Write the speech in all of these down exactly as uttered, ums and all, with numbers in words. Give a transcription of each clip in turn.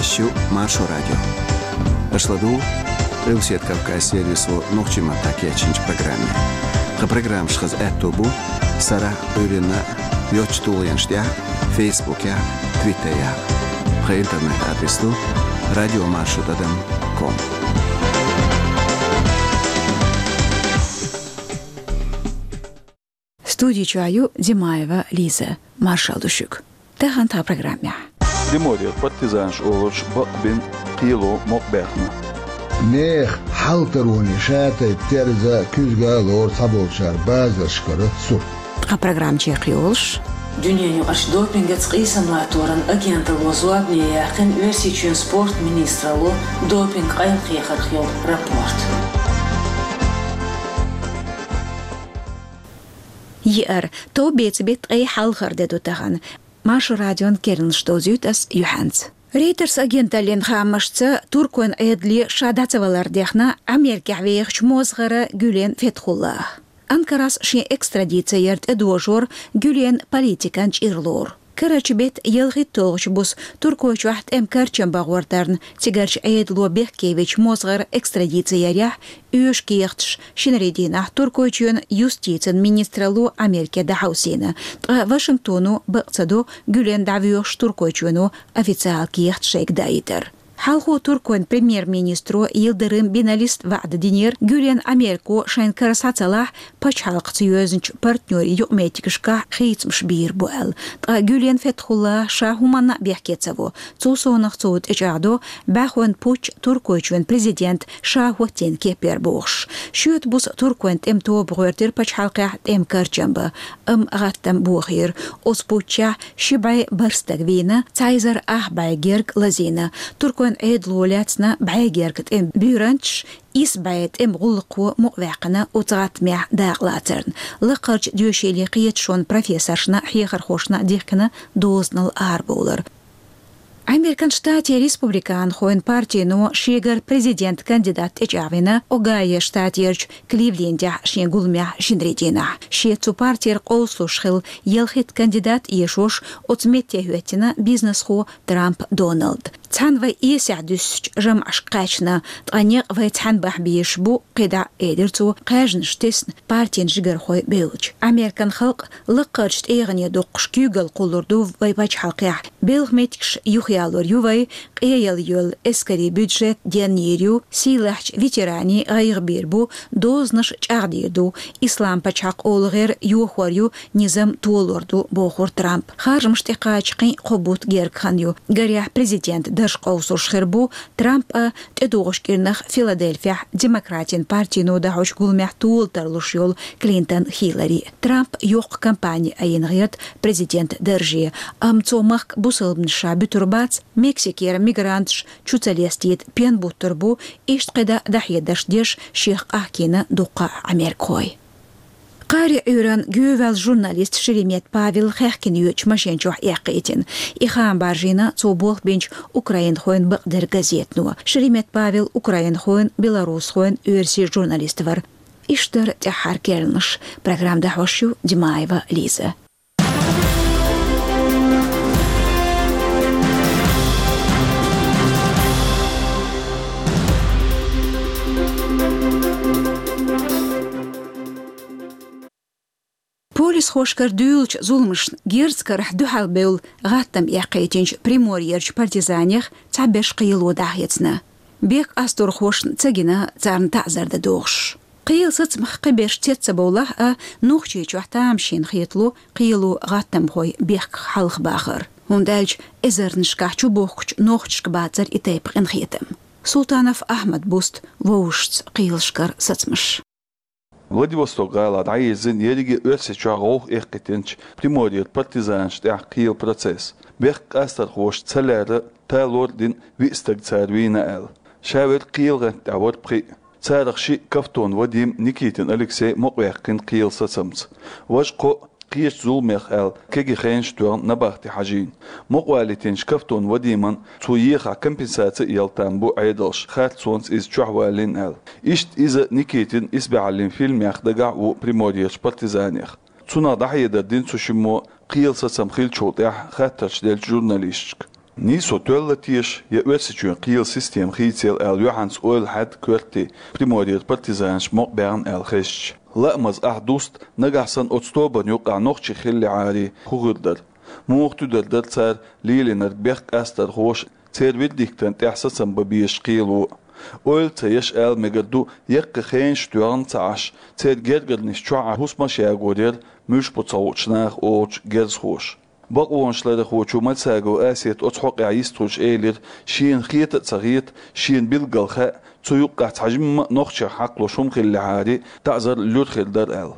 Шу Маршо радио. Аша ладугӀу Къилбаседа Кавказан сервисо нохчийн маттахь кечйинчу программе. Тхан программаш хаза аьтто бу сарахь а, Ӏуьйранна а йоцачу тулгӀенаш тӀехь а, Фейсбукехь а, Твиттерехь а. Тхан интернет-адрес ду радиомаршо тӀадам ком. Студи чохь ю Димаева Лиза. Маршалла ду шуьга. Тахана тхан программехь. Приморьера партизанаш олуш бакъбина кхело мукъабаьхна. Нехан хьалтароне шатайпа терза, куьзга а лору цхьаболчара базаршкара сурт. Тхан программа чекхйолуш. Дуьненаюкъарчу допингаца къийсам латторан агенталло зорбане яьккхина Оьрсийчоьнан спорт министралло допинг къайлахьехарх йолу рапорт. Еара, товбеца беттан ткъе хьалхара де ду тахана. Маршо радион керланаш довзуьйту ас юьхьанца. Рейтерс агенталлин хаамашца, туркойн Ӏедале ша дӀа ца валар дехна Америкехь вехачу мозгӀара Гюлен Фетхуллах. Анкарас шен экстрадици яр тӀедожор Гюлен политикан чӀир лору. Карарчу беттан ялхитталгӀачу буса Туркойчохь тӀеман карчам бахьор дарна, цигарчу Ӏедало бехкевечу мозгӀара экстрадици ярехь, оьшу кехаташ шинарин дийнахь Туркойчоьнан юстицин министралло Америке дӀахьовсийна, ткъа Вашингтоно бакъ ца до Гюлен дӀавоьхуш Туркойчоьно официалан кехат шайга даийтар. Хьалхо туркойн премьер-министро Йылдырым Биналис ваӀда динера, Гюлен Америко шайн кара схьа ца лахь, пачхьалкхаца йоьзначу партнерийн юкъаметтигашкахь хийцамаш бийр бу аьлла. Ткъа Гюлен Фетхуллах ша хӀуманна а бехке ца во. Цул совнаха цо тӀечӀагӀдо бӀаьхойн путч Туркойчоьнан президент ша хӀоттийна кепара бохуш. Шоьтан буса туркойн тӀеман тоба гӀоьртира пачхьалкхехь тӀеман карчам бан, амма гӀаттам бохийра. Оцу путчехь ши бӀе бархӀ стаг вийна, цхьа эзар ах бӀе герга лазийна. Туркойн Ӏедало лаьцна бӀе герга тӀеман буьйранчаш, исс бӀе тӀеман гӀуллакхо мукъаваьккхина оцу гӀаттамехь дакъалацарна. Лакхарчу доьшийлин кхеташонан профессоршна а, хьехархошна а дихкина дозанал арабовлар. Американ Штатийн республиканхойн партино шегара президент кандидат тӀечӀагӀвина Огайо штатерчу Кливлендехь шен гуламехь шинарин дийнахь. Шеца цу партера къовсалуш хилла ялхитта кандидат эшош оцу метте хӀоьттина бизнесхо Трамп Доналд. Цхьаьна вай эсехь дуьссучу жамӀашка кхаьчна, ткъа некъ вай цхьаьна бахьа безаш бу, кхидӀа, элира цо, кхаьжнаш тесна партин жигархой бевлча. Американ халкъ лакхарчу тӀегӀане доккхуш куьйгалла кхуллур ду вай пачхьалкхехь. Белхан меттигаш юхаялор ю вай, къеяла йолу эскарийн бюджет денйийр ю, сийлахьчу ветеранийн гӀайгӀа бийр бу, дозанаш чӀагӀдийр ду, Ислам пачхьалкх олу гӀер йохор ю, низам толор ду, бохура Трампа. Харжамаш тӀекхача кхин а кхо бутт герга хан ю. Гарехь, президент дарж къовсуш хир бу Трамп а, тӀедогӀучу кӀирнах Филадельфехь демократийн партино дӀахьочу гуламехь тола тарлуш йолу Клинтон Хиллари. Трамп йоккха кампани айина гӀерта президент дарже, амма цо махка бусалбанаш ша буьтур бац, Мексикера мигранташ чу ца лестийта пен буттур бу, иштта кхидӀа дӀахьедарш деш шех къахкийна дуккха а америкахой. Кхари Ӏуьйранна гӀевелла журналист Шеремет Павел хаьхкина йоьдучу машен чохь эккхийтина. И хаам баржийна цо болх бинчу украинхойн бакъдерг газетано. Шеремет Павел украинхойн, белорусхойн, оьрсийн журналист вара. Иштта дара тӀаьххьара керланаш. Программа дӀахьош ю Димаева Лиза. Полисхошкара дуьйлучу зуламашна герз карахь дуьхьалбевлла гӀаттам эккхийтинчу Приморьерчу партизанех цхьаберш кхело дӀахецна. Бехк къасторхошна ца гина царна таӀзар дан догӀуш. Кхелан сацамах кхиберш цец ца бовлахь а, Нохчийчохь тамашийна хетало кхело гӀаттамхой бехках хьалхабахар. ХӀунда аьлча эзарнашкахь чубохкучу нохчашка бацара и тайпа къинхетам. Султанов Ахьмад буста вовшашца кхелашкара сацамаш. Владивосток-гӀала дӀаерзина ерриге а Оьрсийчохь гӀовгӀа эккхийтинчу Приморьера партизанашна тӀехь кхелан процесс. Бехк къасторхоша ца лаьрра талор а дина виъ стаг цара вийна аьлла. Ша верг кхелан гӀанта тӀехь вара пхиъ. Царах шиъ Кавтон Вадим, Никитин Алексей мукъаваьккхина кхелан сацамца. Важа кхоъ кхечу зуламех аьлла кегий хенаш тоьхна набахте хьажийна. Мукъавалийтинчу Кавтон Вадиман цо ехахь компенсаци а яла там бу Ӏедалша, харцонца иза чохь валийна аьлла. Иштта иза Никитин исбаьхьаллин фильмех дагахь а ву Приморьерчу партизанех. Цунах дӀахьедар дина цу шиммо кхелан сацам хиллачул тӀаьхьа хаттарш деллачу журналисташка. Нийсо тоьлла теша я Оьрсийчоьнан кхелан система хийцаелла аьлла, юьхьанца ойла хьаьдда коьртте Приморьера партизанаш мукъабаьхна аьлла хезча. Лаамаза ахь дуста, нагахь санна оцу тобанна юкъахь нохчий хиллехьара, хӀун хир дара? Муха туьдар дара цара лелийнарг бехк къастархоша, церан вердиктана тӀехь сацам бан безаш кхело? Ойла ца еш ала мегар ду, яккхий хенаш тоьхна ца Ӏаш, церан гергарнаш чохь Ӏа хӀусамаш ягор яра, муьлш бу ца хуучу наха олучу герзахоша. Бакъонашларъярхочо Мальсагова Асета оцу хьокъехь йистхуьлуш элира, шена хета а ца хета, шена билггал хаьа, цу юккъехь цхьа жимма а нохчех хьакхалуш хӀума хиллехьара, таӀзар луьра хир дара аьлла.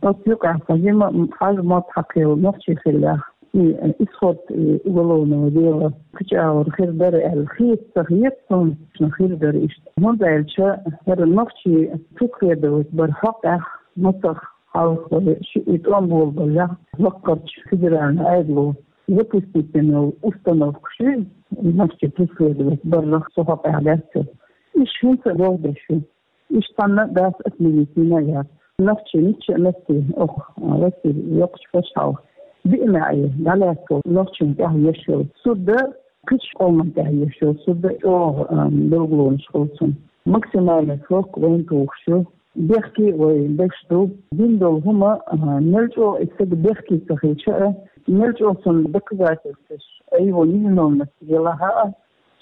Оцу юкъехь цхьа жимма а хьажа мотт хьакхелла нохчий хиллехь, и исход, и уголовного дела кхечу агӀор хир дара аьлла хета а ца хета, суна хир дара иштта. ХӀунда аьлча хӀара нохчий преследовать бар хьокъехь, мацах хьалха шиъ и тӀом болабаллехь, лаккхарчу федеральни Ӏедало запустить дина йолу установкаш ю, нохчий преследовать барах цу хьокъехь лаьцна. Уьш хӀинца а болх беш ю. Уьш цхьанна а дац, отменить йина а яц. Нохчий мичча а меттехь, оха, а, Россин йоккхачу пачхьалкхе биъна а, дӀалаьцна нохчийн тӀехь еш йолу суд а, кхечу къоман тӀехь еш йолу суд а чӀогӀа, а, билгалонаш хуьлу цунна. Максимальный срок вайн тухуш ю. Бехке а вай беш ду. Дина долу хӀума, а, мел чӀогӀа и стаг бехке ца хилча а, мел чӀогӀа цунна доказательстваш, а его невиновность елахь а,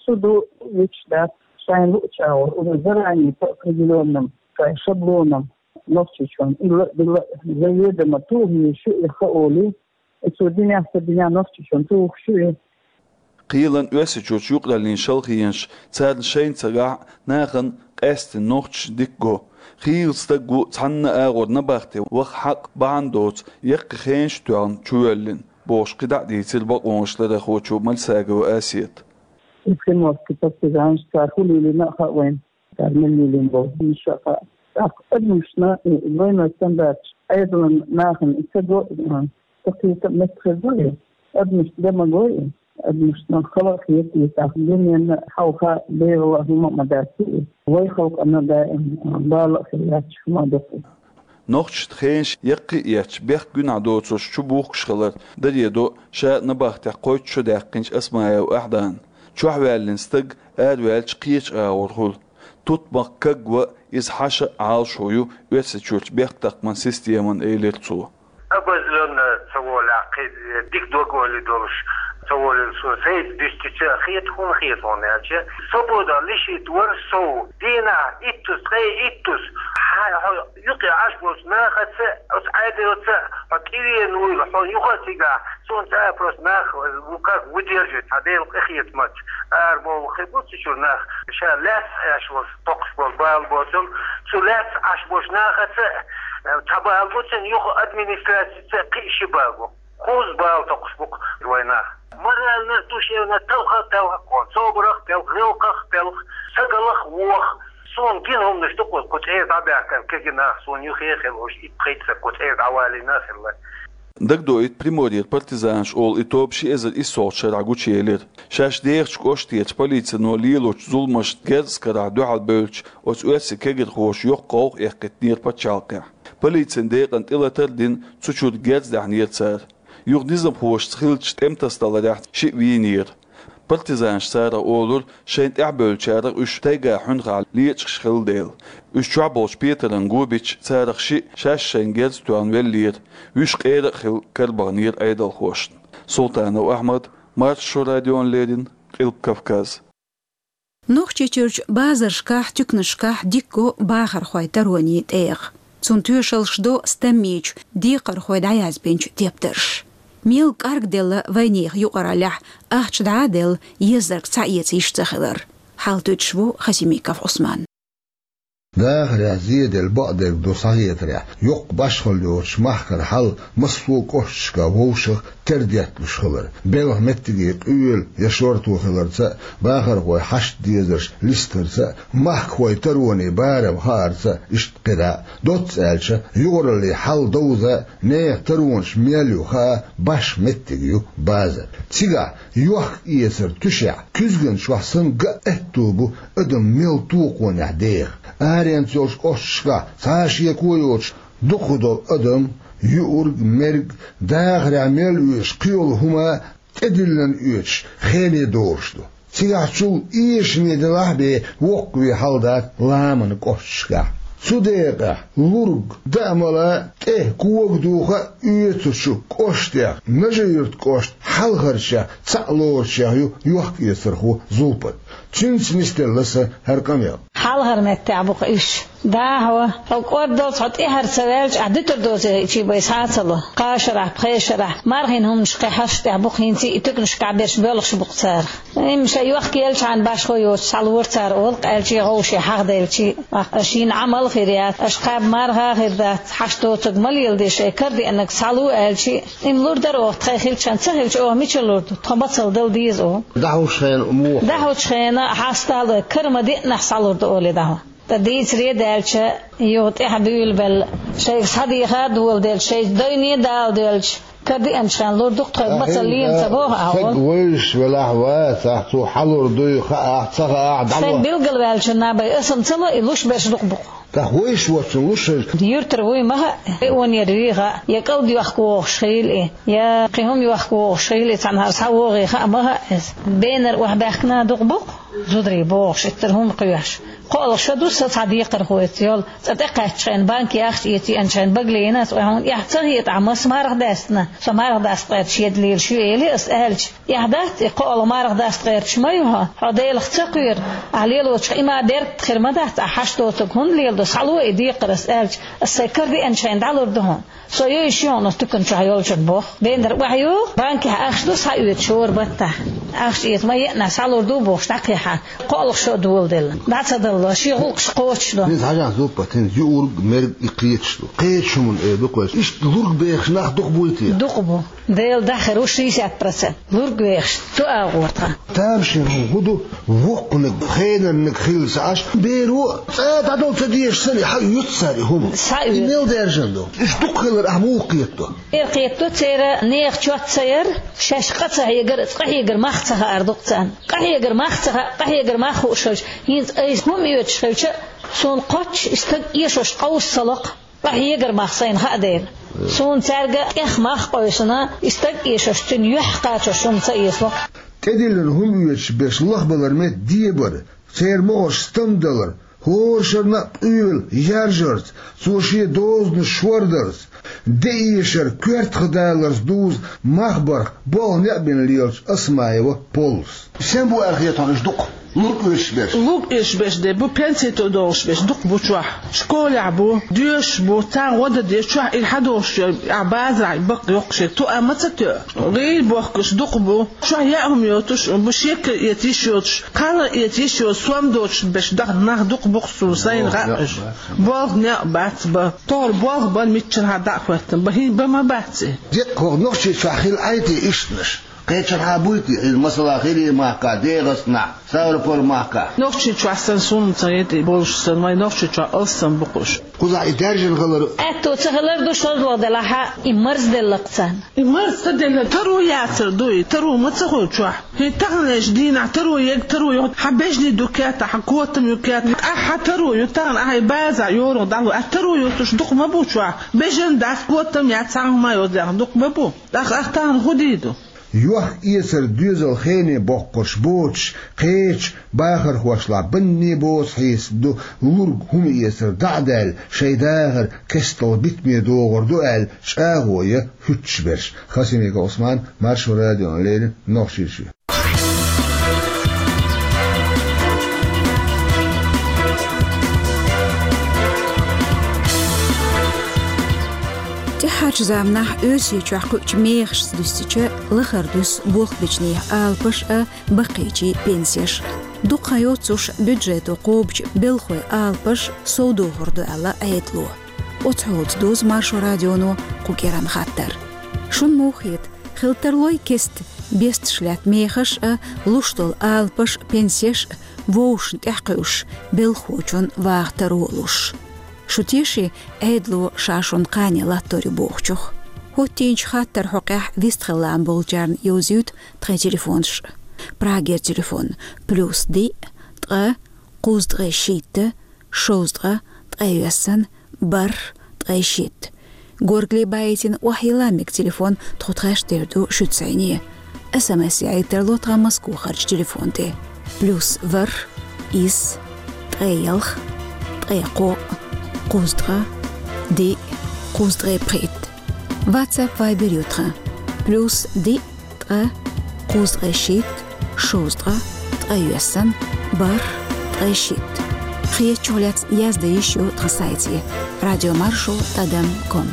суд а вуьтуш дац, шайна луъучу агӀор, уже заранее по определённым, шайн шаблонам, Нохчийчоьнна илла а, билла а, заведомо тухуш ю и хаоли, и цо динехь, ца динехь Нохчийчоьнна тухуш ю и. Кхелан, Оьрсийчуьрчу юкъараллин шалхенаш, царна шайна ца гахь а, нахана къаьсттина нохчаша дика го. Хийла стаг ву цхьанна а агӀор набахте ваха хьакъ, бахьана доцу, яккхий хенаш тоьхна чувоьллина, бохуш кхидӀа а дийцира бакъонашларъярхочо Мальсагова Асета. И приморский партизанаш, цара хӀун лелийна а хаьа вайна. Цара мел лелийна болу хӀуманаш а хаьа. ТӀаккха адамашна и двойной стандарташ, Ӏедалан нахана и ца го, а, ца кхета а меттахь хир ду и, адамашна де ма го и, адамашна хала а хета и, тӀаккха дуьненна хьалха бегӀала а хӀума а ма дац и, вай халкъана даим, а, бала а хир лаьтташ хӀума а ду-кх и. Нохчашна хенаш яккхий а етташ, бехк-гуьнахь доцурш чубухкуш хилар даре до ша набахтехь кхойтта шо даьккхинчу Асмаева Ахьдана. Чохь ваьллина стаг араваьлча кхечу агӀор хуьлу. Тутмакх кагван, иза хьаша а, Ӏалашо ю Оьрсийчуьрчу бехктакхаман системан, элира цо. Обозлённо ца волехь, кхин дика дог-ойла долуш ца волийла, со сайца дуьстича а хета, хӀунда хета хьуна аьлча, свобода лишить вар сов. Дийнахь иттаза, ткъе иттаза, хьан, хьо юкъе Ӏаш болчу нахаца, оцу Ӏедалца хьо тӀевена вуйла, хьо юха а цигахь, суна цӀа а просто нах ву как выдерживать, хьан Делан къинхетамца. Ара бовла хир бу цу чуьра нах, ша лаьцна Ӏаш волу, токхуш болу бала боцург, цу лаьцна Ӏаш болчу нахаца, э, цхьа бала бу цуьнан, юха администрацица кхин ши бала бу. Кхузза бала токхуш бу-кх вайн нах. Морально, душевно талха а талха кхо, собарах а телха, гӀиллакхах а телха, стагаллах а воха. Суна гина хӀуманаш ду-кх, кху цӀера дӀабаьхкина кегий нах, суна юххе а хилла уьш, итт-пхийтта стаг кху цӀера дӀавалийна а хилла. Дагадоуьйту, Приморьера партизанаш олу и тоба ши эзар иссолгӀачу шарахь гучуелира. Шаьш дехачу кӀоштерчу полицино лелочу зуламашна герз карахь дуьхьал бевллачу оцу оьрсийн кегирхоша йоккха гӀовгӀа эккхийтинера пачхьалкхехь. Полицин декъана тӀелатар а дина, цу чуьра герз даьхьнера цара. Юха низамхошца хиллачу тӀематасадаларехь шиъ вийнера. Партизанаш царах олура, шайна тӀаьхьабевллачарах уьш тайга хьуьнхахь лечкъаш хилла дела. Уьш чохь болчу петаран го бича, царах шиъ шаьш шайна герз тоьхна веллера, вуьш къера а хилла карабаханера Ӏедалхошна. Султанов Ахьмад, Маршо радиона леррина, Къилба Кавказ. Нохчийчуьрчу базаршкахь, туьканашкахь дика го бахархойн таронийн тӀегӀа. Цунна тоьшаллаш до стаммийчу декхархойн дӀаязбинчу тептарша. Мел кӀаргделла вайнехан юкъараллехь, ахча дӀа а делла, езарг схьаэца йиш ца хилар. Хьалтуьйтуш ву Хасимиков Ӏусман. Дахарехь зеделла бакъдерг ду схьахетарехь, йоккха башхалла йоцуш махкара хьал массо а кӀошташкахь вовшах тера детталуш хилар. Белхан меттиге къоьлла я шорто хиларца а, бахархойн хьашт-дезарш листарца а, махкахойн таронийн барам хаарца а, иштта кхидӀа а. Доцца аьлча, юкъараллин хьал довза а, нехан таронаш мел ю хаа башха меттиг ю базар. Цигахь йохк-эцар туьшехь, куьзган чохь санна ган аьтто бу адам мел токхонехь деха. Аренца йолчу кӀошташкахь цхьа а шеко йоцуш дукхахдолу адам, юург, мерг, дахарехь мел оьшу кхин йолу хӀума тӀедиллина оьцуш хене долуш ду. Цигахь чул эшаме делахь а бен воккхаве хьал дац ламанан кӀошташкахь. Цу декъехь лург даа-мала, тӀе кога духа а оьцучу кӀоштех Нажи-Юьртан кӀоштан хьалхарчех цхьаъ лоручех ю йохк-эцархо Зулпат. Цуьнца нисделла сан хӀара къамел. Хьалхара меттехь бу-кх уьш. Дехьо, хьо кӀордалц хьо тӀаьхьара ца ваьлча, ахь дуьтур доций чийбай схьа а ца ло. Кхаа шарахь, пхеа шарахь, мархин хӀуманаш кхин хьаштех бу-кх, хӀинца и туьканашкахь берш боьлхуш бу-кх царах. Имма шайн йохк елчхьана башхо йоцуш схьалора цара олу-кх, аьлчи гӀовше хьахделчи. Аша йина Ӏамал хир яц, аша кхаба марха а хир дац, хьашт доцург ма леладе, шайн кара деанарг схьало аьлчи. Имма лур дара оха, тхайн хилчхьана, ца хилча оха мичара лур ду, тхо мацалла дала деза оха. ДӀахьочу хенахь муха? ДӀахьочу хенахь хьасталой, кара ма деаннехь схьалур ду олий дӀахьо. Ткъа дийцаре а даьлча, юха тӀаьхьа буьйлабелла, шайга схьадеха а доладелча, шайн дайне а дала доьлча, кара деанчхьана лур ду-кх, тхоьга мацалла лела ца боху ахьа. Стаг вевзаш велахь а, вацахь, цо хьалур дуй, хаахь, ца хаахь, дӀало. Стаг билгалваьллачунна бен аса-м ца ло, и луш берш дукха бу-кх. ТӀаккха вевзаш воцчунна луш хир. Юьртара вуй ма хаьа, районера вуй хаьа, я кӀалд йохка вогӀуш хилла и, я кхин хӀума йохка вогӀуш хилла и, цхьанхьара схьавогӀий хаа ма хаьа иза. Бенара охьабаьхкина дукха бу-кх. Зударий бохуш, иттара хӀума кхоьхьуш. КхоалгӀа шо ду сан цхьа декхархочуьнца йолу, цӀа тӀекхаьччхьана, банке ахча эций аьлчхьана, багале йина ас, вай хьуна эхь ца хета ахь, маса марха даьстина, со марха дастахь гӀерташ еда лелаш ю, элира ас аьлча. Эхь дац и, кхоалгӀа марха дастахь гӀерташ ма ю хьо, хьо Делах ца кхоьру, ахь лелочух и ма беркат хир ма дац, ахь хьашт доцург хӀунда леладо, схьало и декхар ас аьлча, ас сайн кара деанчхьана дӀалур ду хьуна. Со йойуш ю хьуна оцу туькана чохь йолчун боху. Бенара охьайогӀу, банкехь ахча ду схьаоьцуш хӀора баттахь. Ахча эца ма еана, схьалур ду бохуш дӀакхехьа. КхоалгӀа шо а доладелла. ДӀа ца далло, шен гӀуллакхаш кхочушдо. ХӀинца хьажахь, Зулпат, хӀинца юург, мерг и кхеташ ду. Кхечу хӀуманна эр ду-кх вайша. Иштта лург бехаш нах дукха буй те? Дукха бу. Делан дуьхьа хир ву шестьдесят процент. Лург вехаш, цу агӀор тхан. Тамашийна хӀума хӀун ду, воккханиг, хенарниг хилла ца Ӏаш, беро а цкъа дӀадала ца дезаш санна, хьаоьцу цара и хӀума. Схьаоьцу. И мел даьржина ду? Уьш дукха хилар ахь муха кхетадо? Эр кхетадо, церан нехан чот ца яр, шаьш къа ца хьегар, къахьегар мах ца хаар ду-кх царна. Къахьегар мах ца хаьа, къахьегар мах хууш хилча, хӀинца айса хӀума оьцуш хилча а, суна кхоччуш и стаг эшош къовса ца ло-кх. Къахьегар мах сайна хаа дела. Суна цаьрга тӀех мах къовсина, и стаг эшош, цуьнан юьхь кхачош хӀума ца эцало. ТӀедиллина хӀума оьцуш берш лахбалар метта дебар, церан могӀарш стамдалар, хӀора шарна а къоьлла яржарца, цо шен дозанаш шордарца, де эшар коьртах даларца дузу мах барх болх некъ бина лелачу Осмаева Поллас. Сен бу аьлла хета хьуна уьш дукха? Лург оьцуш берш. Лург оьцуш берш де бу, пенсий тоъ долуш берш дукха бу чохь. Школехь бу, доьшуш бу, царна гӀо дан деза, чохь и хьадолуш йолу, ахь базарахь бакъ йоккхуш ерг тоъа ма ца тоьу. ГӀийла бохкуш дукха бу, чохь яа хӀума йоцуш а бу, шекар эца йиш йоцуш, кхалар эца йиш йоцуш, сом доцуш берш даха нах дукха бу-кх суна сайна хаьа уьш. Болх некъ бац бан. ТохӀара болх бан, миччанхьа дӀа а хӀоьттина бан, хӀинца бан ма бац и. Деккъа хӀокху Нохчийчохь хилла Ӏай те иштанаш? Кхечанхьа буй те иза, масала, ХӀирийн махкахь, ДегӀастанахь, Ставрополь махкахь? Нохчийчохь санна, суна ца хета и болуш санна, вайн Нохчийчохь алссам бу-кх уьш. Кхузахь и даьржина хилар. Аьтто ца хилар ду, шозлагӀа делахь а, и марзделла-кх царна. И марз ца делла, таро яцар ду и, таро ма ца хуьлу чохь. ХӀинца таханлерчу дийнахь таро ерг таро ю, хьан бежнаш ду кертахь, хьан котам ю кертахь, ахь хьан таро ю, тахана ахь и база йоьрзуш дӀалур, ахь таро йоцуш дукха ма бу чохь. Бежан дац, котам яц, цхьа хӀума йоцу дукха ма бу. ТӀаккха ахь тахана хӀун дийр ду? Йохк-эцар доьзал хене боккхурш боцуш, кхечу бахархошлахь банне боцу хьесап ду, лург хӀума эцар дӀа а даьлла, шайн дахар кестта битаме догӀур ду аьлла, чӀагӀо ян хӀуьттуш берш. Хасимиков Ӏусман, Маршо радиона леррина, Нохчийчоь. ТӀаьххьарчу заманахь Оьрсийчохь кхуьучу мехашца дуьстича, лахара дуьсу болх бечу нехан алапаш а, баккхийчийн пенсеш а. Дукха хан йоццуш бюджето кхобучу белхойн алапаш совдохур ду аьлла Ӏедало. Оцу хьолаца дузу Маршо радионо кху кӀиранан хаттар. Шуна муха хета, хила тарлой кестта бесташ лаьтта мехаш а, луш долу алапаш а, пенсеш а вовшашна тӀехь кхуьуш, белхахочун ваха таро а луш? Шу теший Ӏедало ша шуна кхане латтор ю бохучух? ХӀоттийначу хаттаран хьокъехь вистхила лаам болчарна йовзуьйту тхайн телефонаш. Прагера телефон: плюс диъ, ткъа, кхузткъе шийтта, шовзткъа, ткъе йоьссана, бархӀ, ткъе шийтта. Горгали баийтина охьайилла мега телефон тхо тхаьш тера ду шуьца зӀене. СМС яхьийтар ло тхан Москвахарча телефон тӀе: плюс ворхӀ, исс, ткъе ялх, ткъе кхоъ, кхузткъа, диъ, кхузткъе пхийтта. WhatsApp, Viber ю тхан: плюс диъ, ткъа, кхузткъе шийтта, шовзткъа, ткъе йоьссан, бархӀ, ткъе шийтта. Хетачух лаьцна язде йиш ю тхан сайте: радиомаршо тӀадам ком.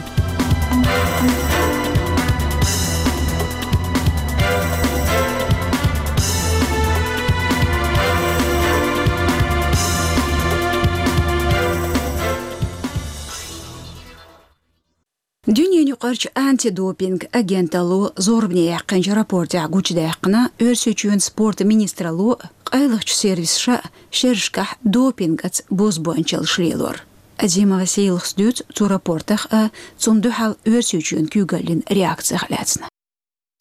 Дуьненаюкъарчу антидопинг агенталло зорбане яьккхинчу рапортехь гучудаьккхина, Оьрсийчоьнан спортан министралло къайлахчу сервисаша шерашкахь допингаца бозбуанчаллаш лелор. Азимова Сийлахас дуьйцу цу рапортах а, цунна дуьхьал Оьрсийчоьнан куьйгаллин реакцех а лаьцна.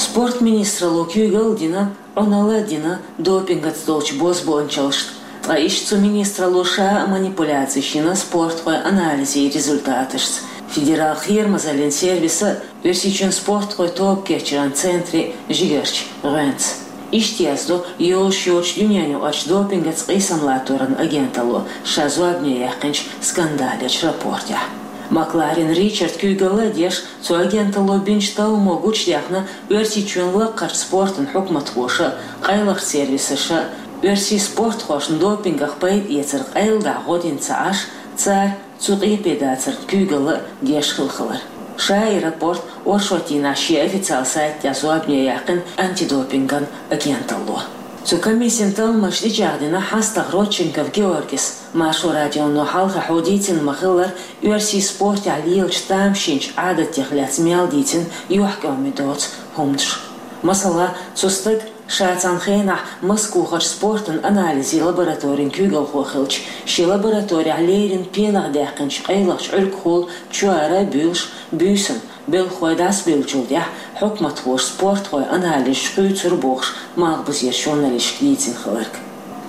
Спортан министралло куьйгалла дина, Ӏуналла а дина допингаца долчу бозбуанчаллашна, ткъа иштта цу министралло ша а манипуляцеш йина спортхойн анализийн результаташца. Федералан кхерамазаллин сервисан а, Оьрсийчоьнан спортхойн тоба кечъяран центран а жигарчу гӀоьнца. Иштта яздо йолуш йоцчу дуьненаюкъарчу допингаца къийсам латторан агенталло ша зорбане яьккхинчу скандалечу рапортехь. Макларен Ричард куьйгалла а деш, цу агенталло бинчу талламо гучудаьхна, Оьрсийчоьнан лакхарчу спортан хьукматхоша а, къайлахчу сервисаша а оьрсийн спортхошна допингах пайда эцар къайладахьа гӀо дина ца Ӏаш, цара цу къепе дацарна куьйгалла а деш хилла хилар. Ша и рапорт оршотдийнахь шен официалан сайта тӀехь зорбане яьккхина антидопинган агенталло. Цу комиссин талламаш тӀечӀагӀдина хьастагӀа Родченков Георгис. Маршо радионо хьалхахь дийцина ма-хиллара, оьрсийн спортехь лелачу тамашийначу Ӏадатех лаьцна мел дийцина юьхькӀоме доцу хӀуманаш. Масала, цу стага, ша цхьана хенахь Москвахарчу спортан анализийн лабораторин куьйгалхо хилча, шен лабораторехь леррина пенах даьккхинчу къайлахчу Ӏуьргахула чоьхьара а буьйлуш, буьйсанна белхалой дӀасабевллачул тӀаьхьа хьукматхоша спортхойн анализаш хуьйцура бохуш, Малхбузерчу журналисташка дийцина хилларг.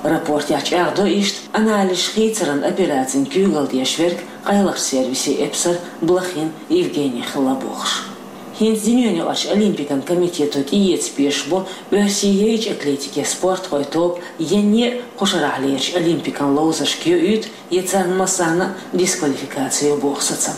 Рапортехь чӀагӀдо иштта анализаш хийцаран операцин куьйгалла деш верг къайлахчу сервисан эпсар Блохин Евгений хилла бохуш. ХӀинца Дуьненаюкъарчу Олимпикан комитето тӀеэца безаш бу Оьрсийн яйчу атлетикин спортхойн тоба енне а кху шарахь лерачу Олимпикан ловзаршка йоуьйту, я царна массарна а дисквалификаци йо боху сацам.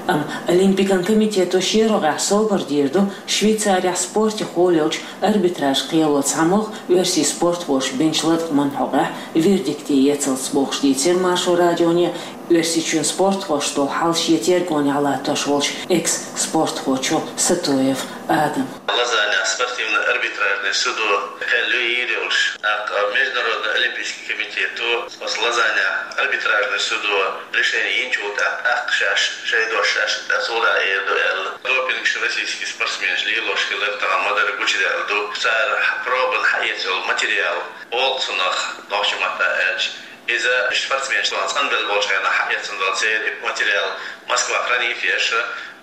Амма Олимпикан комитето шен рогӀехь собар дийр ду Швейцарехь спортехула йолчу арбитраж кхело цхьамогӀа оьрсийн спортхоша бинчу латкъаман хьокъехь вердикте эцалц бохуш, дийцира Маршо радионе Оьрсийчоьнан спортхошна долу хьал шен тергонехь латтош волчу экс-спортхочо Сатоев Адама. Лозаннехь спортивно-арбитражный судо кхел йийр йолуш, тӀаккха Международный олимпийский комитето оцу Лозаннехь арбитражный судо решение йинчул тӀаьхьа тӀаккха шаьш шайн дош шаьш тӀе сура а эр ду аьлла. Допингаш российский спортсменаш лелош хилар тахана ма-дарра гучудаьлла ду. Цара пробан хьаэца йолу материал боху цунах, нохчийн маттахь аьлча. Иза спортсменаш цӀанбелла болчу хенахь хьаэцна долу церан и материал Москва хранить еш,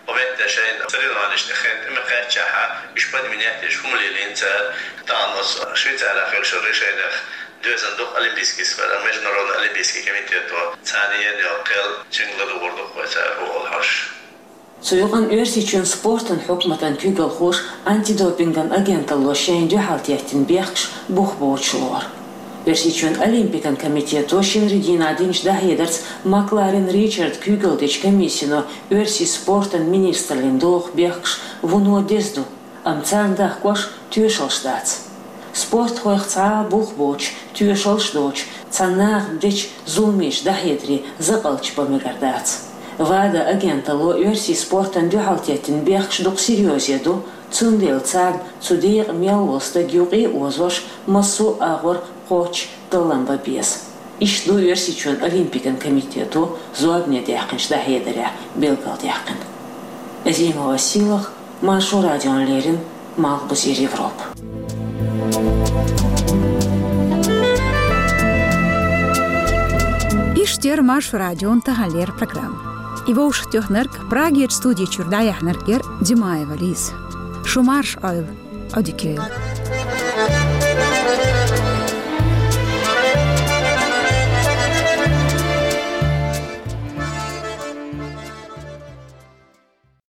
оцу метте шайн соревнованешна тӀе хен тӀе ма кхаьччахьа, уьш подменять деш хӀума лелийна цара. Тахана оцу Швейцарехь хуьлуш решенех доьзна ду-кх Олимпийский спорт, Международный олимпийский комитето царна йина йолу кхел, цуьнга ладугӀур ду-кх вай цара хӀун олу хьожуш. Цу юкъана Оьрсийчоьнан спортан хьукматан куьйгалхоша антидопинган агенталло шайна дуьхьал теттина бехкаш бух боцуш лору. Оьрсийчоьнан Олимпикан комитето шинарин дийнахь динчу дӀахьедарца Макларен Ричарда куьйгалла дечу комиссино оьрсийн спортан министраллина доху бехкаш вуно деза ду, амма царна дахкош тоьшаллаш дац. Спортхойх цхьа а бух боцуш, тоьшаллаш доцуш, цхьана наха дечу зуламех дӀахьедаре закъалташ бан мегар дац. ВАДА агенталло оьрсийн спортана дуьхьал теттина бехкаш дукха серьёзе ду, цундела царна цу декъа мел волу стаг юкъе а озош, массо а агӀор кхоччуш таллам бан беза. Иштта ду Оьрсийчоьнан Олимпикан комитето зорбане даьккхинчу дӀахьедарехь билгалдаьккхина. Азимова Сийлаха, Маршо радиона леррина, Малхбузера Европа. Иштта яра Маршо радион таханлера программа. И вовшахтоьхнарг, Прагерчу студи чуьра дӀаяьхьнарг яра Димаева Лиза. Шу марша Ӏойла, Ӏодика йойла.